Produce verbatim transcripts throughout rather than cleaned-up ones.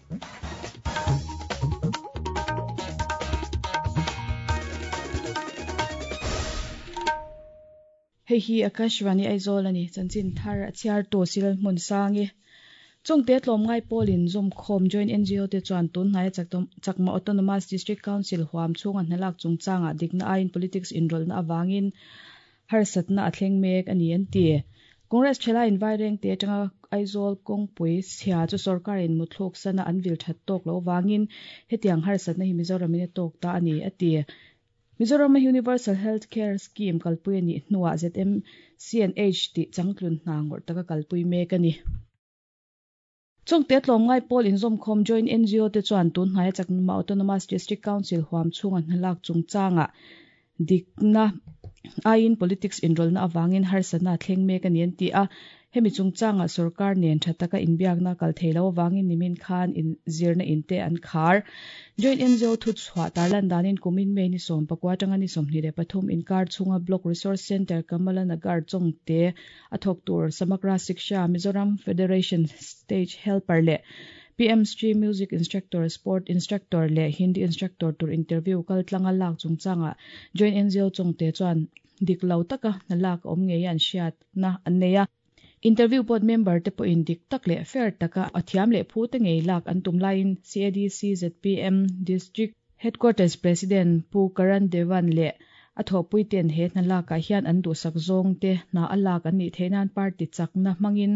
Hei hi Akashvani Aizawl ani chanchin thar a chhiar tu sil hmun sangi chungte tlawmngai pawlin zum khawm joint N G O te chuan tun hnaia Chakma Autonomous District Council huam chhunga hnalak chungchanga dikna aiin politics inrawlhna awangin harsatna a thleng mek ani an ti. Congress thela in vaireng te atanga Aizawl kawngpui chhia chu sorkarin muthluk sana an vil that tawk lo wangin hetiang harsatna hi Mizoram in a tawk ta ani ati. Mizoram Universal Health Care Scheme kalpui ani hnuah Z M C N H ti changtlun hna ngawrh taka kalpui mek ani. Chungte tlawmngai pawl inzawm khawm joint N G O te chuan tun hnaia Chakma Autonomous District Council huam chhunga hnalak chungchanga dikna aiin politics inrawlhna awangin harsatna thleng mek ani an ti a. Hemi chungchanga sarkar nen tha taka inbiakna kal theilo awangin nimin khan in zirna inte an khar. Joint N G O thu chhuah tarlan danin kumin May ni sawm pakua atanga ni sawmhnih leh pathum inkar chhunga Block Resource Centre Kamala Nagar chawngte a thawk tur Samagra Shiksha Mizoram Federation Stage Helper leh P M Stream Music Instructor, Sport Instructor leh Hindi Instructor tur interview kal tlanga lak chungchanga Joint N G O chawngte chuan dik lo taka hnalak awm ngei an hriat na an nei a. Interview board member te pawh in dik tak leh fair taka a thiam leh phu te ngei lak an tum laiin C A D C Z P M District Headquarters President Pu Karan Devan leh a thawhpui ten he hna lakah hian an duhsak zawng te hna a lak an nih theih nan party chakna hmangin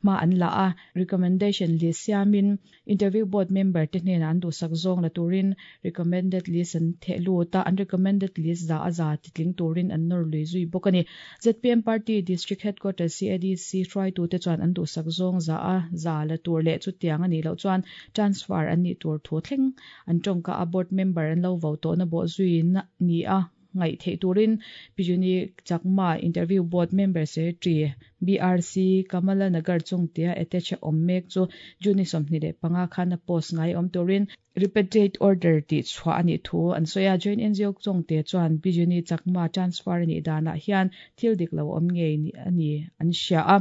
hma an la a. Recommendation list siamin interview board member te hnenah an duhsak zawng la turin recommended list an theh lut a, an recommended list za a za titling turin an nawr lui zui bawk ani. Z P M Party District Headquarters C A D C hruaitu te chuan an duhsak zawng za a za la tur leh chutiang ani loh chuan transfer an nih tur thu thleng an tawngka a board member an lo vo tawhna bawh zui na ni a ngai thei turin Pijuni Chakma Interview Board Member Secretary B R C Kamala Nagar chungtea attach awm mek chu Juni sawmhnih leh panga khan a post ngai awm turin repeated order ti chhuah ani thu an sawi a. Joint N G O chawngte chuan Pijuni Chakma transfer ani danah hian thil dik lo awm ngei ani an hria a.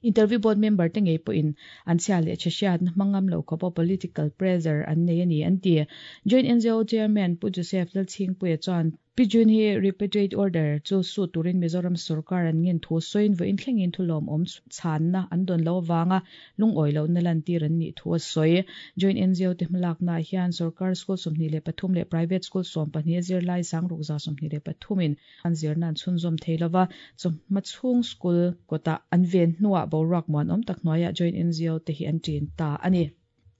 Interview board member te ngei pawhin an chhia leh che hriat na hmangam lo khawpa political pressure an nei ani an ti. Joint N G O Chairman Pu Joseph Lalchhingpuia chuan Pijun hi repeated order chu su turin Mizoram sarkar an ngin thu sawiin vawiin thlengin thu lawm awm chhanna an dawn lo awanga lungawi lo na lan tir an nih thu a sawi. Joint N G O te hmalakna hian sarkar school sawmhnih leh pathum leh private school sawm pahnih zirlai sangruk za sawmhnih leh pathumin an zirna an chhunzawm thei lova chawhma chhung school kawtah an ven hnuah boruak muan awm tak hnuaiah Joint N G O te hi an ṭin ta ani.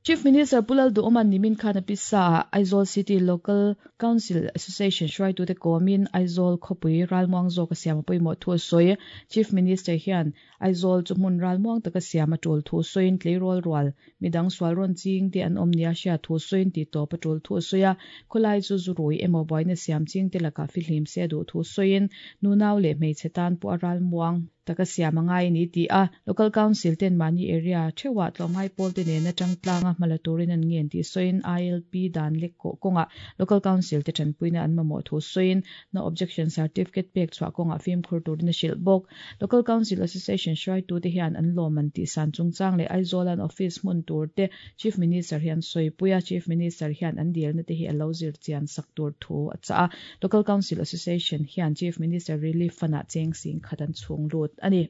Chief Minister Pulal Duoman nimin khan a pisa Aizawl City Local Council Association hruaitu te kawmin Aizawl khawpui ralmuang zawk a siam a pawimawh thu a sawi. Chief Minister hian Aizawl chu hmun ralmuang taka siam a tul thu sawiin tleirawl rual midang sual rawn ching te an awm nia hria thu sawiin ti tawp a tul thu a sawi a. Khawlai chu zurui emaw buaina siam ching te lakah fihlim se duh thu sawiin nunau leh hmeichhe tan pawh a ralmuang taka siam angai ni ti a. Local Council ten mani area thewa tlawmngai pawl te nena tangtlanga hmala turin an ngen ti sawiin I L P dan lek ko kawnga Local Council te tanpuina an mamawh thu sawiin no objection certificate pek chhuah kawnga fimkhur turin a hrilh bawk. Local Council Association hruaitu te hian an lawm an tih san chungchang leh Aizawl an office hmun tur te Chief Minister hian sawipuia Chief Minister hian an dilna te hi a lo zir chian sak tur thu a cha a. Local Council Association hian Chief Minister Relief Fund ah cheng sing khat an chhung lut ani.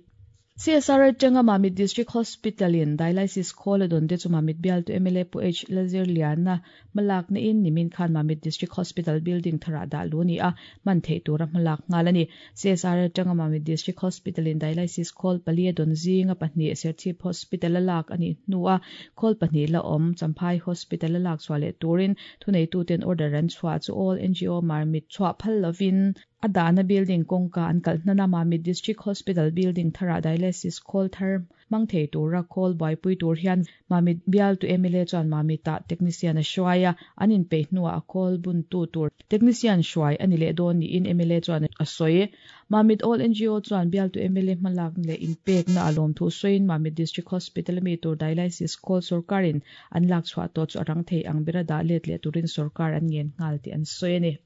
C S R atanga Mamit District Hospital in dialysis khawl a dawn te chu Mamit bial tu M L A Pu H Lazir Liana malak na in nimin khan Mamit District Hospital building thara dah lu ni a man thei tura hmalak ngal ani. C S R atanga Mamit District Hospital in dialysis khawl pali a dawn zinga pahnih Serchhip Hospital a lak ani hnua khawl pahnih la awm Champhai Hospital a lak chhuah leh turin thunei tu ten order an chhuah chu all N G O Marmit chhuah phal lovin a dahna building kawngka an kalh hnana Mamit District Hospital building thara dialysis khawl thar mang thei tura khawl buaipui tur hian Mamit bial tu M L A chuan Mamit-ah technician a hruai a, an inpeih hnuah a khawl bun tu tur technician hruai ani leh dawn niin M L A chuan a sawi. Mamit All N G O chuan bial tu M L A hmalak leh inpekna a lawm thu sawiin Mamit District Hospital ami tur dialysis khawl sarkarin an lak chhuah tawh chu a rang thei ang bera dah let leh turin sarkar an ngen nghal tih an sawi ani.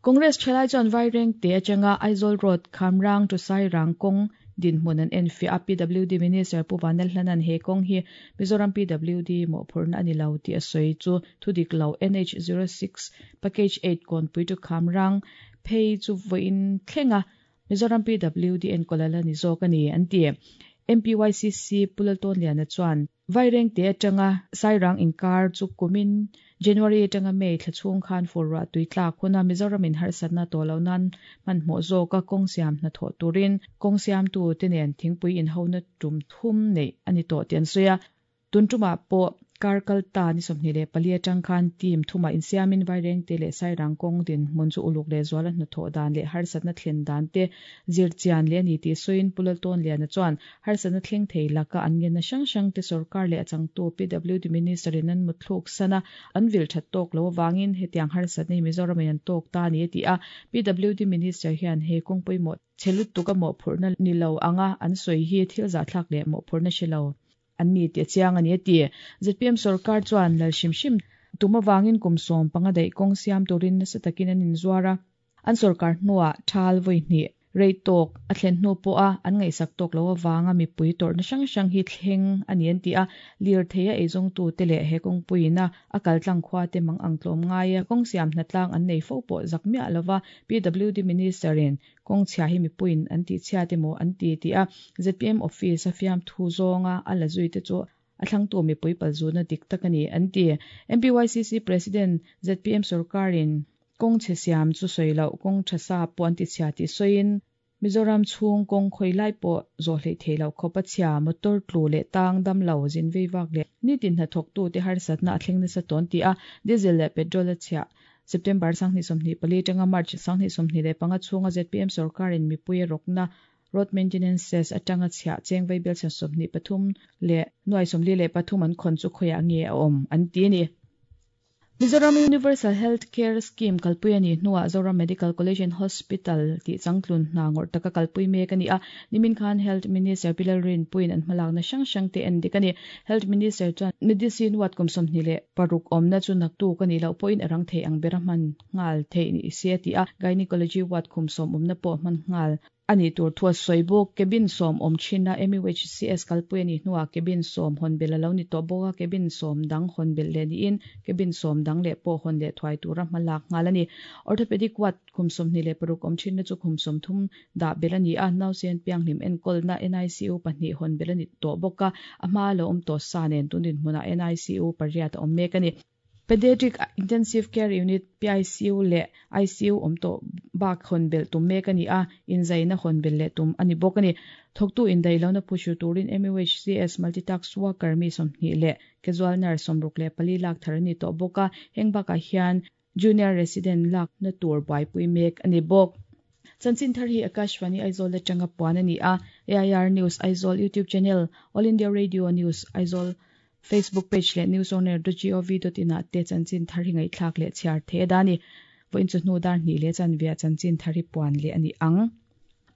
Congress thalai chuan vaireng te atanga Aizawl Road Khamrang to Sairang kawng Dinhmun an enfiah a P W D Minister Pu Vanlalhlanan he kawng hi Mizoram P W D mawhphurhna a ni lo tih a sawi chu thudik lo. N H zero six Package eight Kawnpui to Khamrang phei chu vawiin thlenga Mizoram P W D enkawl ala ni zawk a ni an ti. M P Y C C Pu Laltawnliana chuan Vairengte atanga Sairang inkar chu kumin January atanga May thla chhung khan fur ruah tui tlak huna Mizoram in harsatna tawh loh nan hmanhmawh zawka kawng siam hnathawh turin kawng siamtu te nen thingpui inhona tum thum neih a ni tawh tih an sawi a. Tun tumah pawh kar kal ta ni sawmhnih leh pali atang khan team thumah insiamin Vairengte leh Sairang kawng dinhmun chu uluk leh zuala hnathawh dan leh harsatna thlen dan te zir chian leh a ni tih sawiin Pu Laltawnliana chuan harsatna thleng thei laka an ngenna hrang hrang te sorkar leh a changtu P W D Minister in an mutthluk sana an vil that tawk lo awangin hetiang harsatna hi Mizoram in an tawk ta a ni a ti a. P W D Minister hian he kawng pawimawh chhe lutuk a mawhphurhna ni lo anga an sawi hi thil zahthlak leh mawhphurhna hre lo an ni tih a chiang a ni a ti. Z P M sorkar chuan lal hrim hrim tum awangin kum sawm panga daih kawng siam turin nasa takin an inzuar a. An sorkar hnuah thal vawi hnih rei tawk a thlen hnu pawh a an ngaihsak tawk lo awanga mipui tawrhna hrang hrang hi thleng a ni an ti a. Lir thei a eizawngtu te leh he kawngpuiin a a kaltlang khua te mang ang tlawm ngai a kawng siam hnatlang an nei fo pawh zak miah lova P W D Minister in kawng chhia hi mipuiin an tih chhiat emaw an ti tih a Z P M office a fiam thu zawnga a la zui te chu a thlangtu mipui palzuna dik tak a ni an ti. M P Y C C President Z P M sorkarin kawng chhe siam chu sawi loh kawng tha sa pawh an ti chhia tih sawiin Mizoram chhung kawng khawi lai pawh zawh hleih thei lo khawp a chhia motor tlu leh tang dam lo zin vei vak leh nitin hnathawktu te harsatna a thleng nasa tawn ti a. Diesel leh petrol a chhiah September sanghnih sawmhnih pali atanga March sanghnih sawmhnih leh panga chhunga Z P M sorkarin mipui a rawkna road maintenance cess atanga chhiah cheng vaibel sawmhnih pathum leh nuai sawmli leh pathum an khawn chu khawiah nge a awm an ti a ni. Mizoram Universal Health Care Scheme kalpui a ni hnuah Zoram Medical College and Hospital tih changtlun hna ngawrh taka kalpui mek a ni a. Nimin khan Health Minister Pi Lalrinpuiin an hmalakna hrang hrang te en dik a ni. Health Minister chuan Medicine ward kum sawmhnih leh paruk awmna chu naktuk a nih loh pawhin a rang thei ang bera hman nghal theih ni se a ti a. Gynecology ward khum sawm awmna pawh hman nghal a ni tur thu a sawi bawk. Cabin sawm awm thin a M U H C S kalpui a ni hnuah cabin sawm hawn belh a lo ni tawh bawk a. Cabin sawm dang hawn belh leh niin cabin sawm dang leh pawh hawn leh thuai tura hmalak nghal a ni. Orthopedic ward khum sawmhnih leh paruk awm thin na chu khum sawmthum dah belh a ni a. Nausen pianghlim enkawlna N I C U pahnih hawn belh a ni tawh bawk a. A hma lo awm tawh sa nen tun dinhmunah N I C U pariat a awm mek a ni. Pediatric Intensive Care Unit P I C U leh I C U awm tawh bak hawn belh tum mek a ni a. Inzaina hawn belh leh tum a ni bawk a ni. Thawktu indaih lohna phuhru turin M U H C S multitask worker mi sawmhnih leh casual nurse sawmruk leh pali lak thar a ni tawh bawk a. Heng bakah hian junior resident lak na tur buaipui mek a ni bawk. Chanchin thar hi Akashvani Aizawl atanga puan a ni a. A I R News Aizawl YouTube channel, All India Radio News Aizawl Facebook page leh newsonair dot gov dot in ah te chanchin thar hi ngaihthlak leh chhiar the da ni. Vawiin chu hnu dar hnih leh chanvia chanchin thar hi puan leh a ni ang.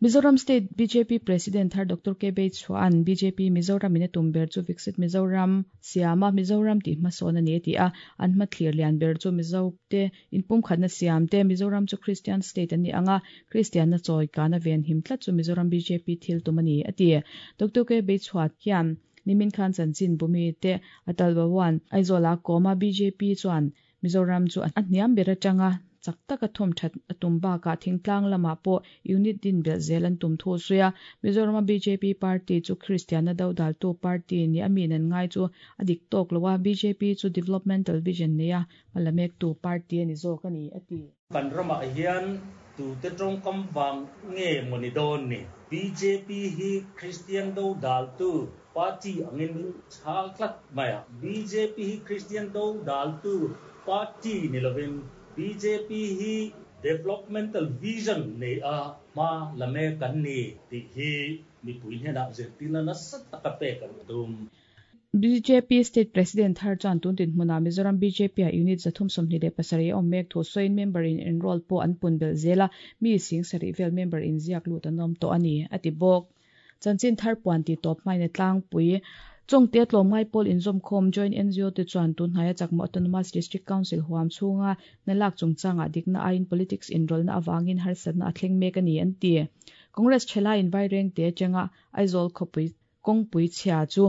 Mizoram State B J P President thar Doctor K Beichhuan B J P Mizoram in a tum ber chu Viksit Mizoram siama Mizoram tih hmasawn a ni a ti a. An hmathlir lian ber chu Mizo te inpum khatna siam te Mizoram chu Christian state an ni anga Christian na chawi kana ven him tlat chu Mizoram B J P thil tum a ni a ti. Doctor K Beichhuat hian nimin khan chanchin bumi te Atal Bhawan Aizawl a kawma B J P chuan Mizoram chu a hniam ber atanga chak taka thawm that a tum bakah thingtlang lamah pawh unit din belh zel an tum thu sawi a. Mizoram B J P party chu Christian a do daltu party ni a min an ngai chu a dik tawk lo a. B J P chu developmental vision nei a hmala mek tu party a ni zawk a ni a ti. Kan ramah hian tu te tawngkam vang nge maw ni dawn ni B J P hi Christian do daltu party angin min chhal tlat mai a. B J P hi Christian do daltu party ni lovin B J P hi developmental vision nei a hma lame kan ni tih hi mipui hnenah zirtirna nasa taka pek an tum. B J P State President thar chuan tun dinhmunah Mizoram B J P a unit zathum sawmhnih leh pasarih a awm mek thu sawiin member in enroll pawh an pun belh zel a. Mi sing sarih vel member in ziak lut an awm tawh a ni a ti bawk. Chanchin thar puan ti tawp hmain a tlangpui Chongte tlawmngai pawl inzawmkhawm Joint N G O te chuan tunhnaia Chakma Autonomous District Council huam chhunga nalak chungchangah dikna aiin politics inrawlna awangin harsatna a thleng mek a ni an ti. Congress thelai in vaireng te changa Aizawl khawpui kawngpui chhia chu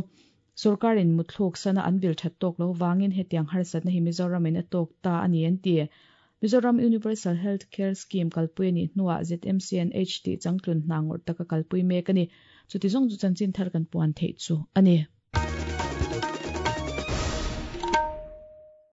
sorkarin muthluk sana an vil that tawk lo wangin hetiang harsatna hi Mizoram in a tawk ta ani an ti. Mizoram Universal Health Care Scheme kalpui ani hnuah Z M C N H ti changtlun hnangor taka kalpui mek ani. Chuti zong chu chanchin thar kan puan thei chu ani.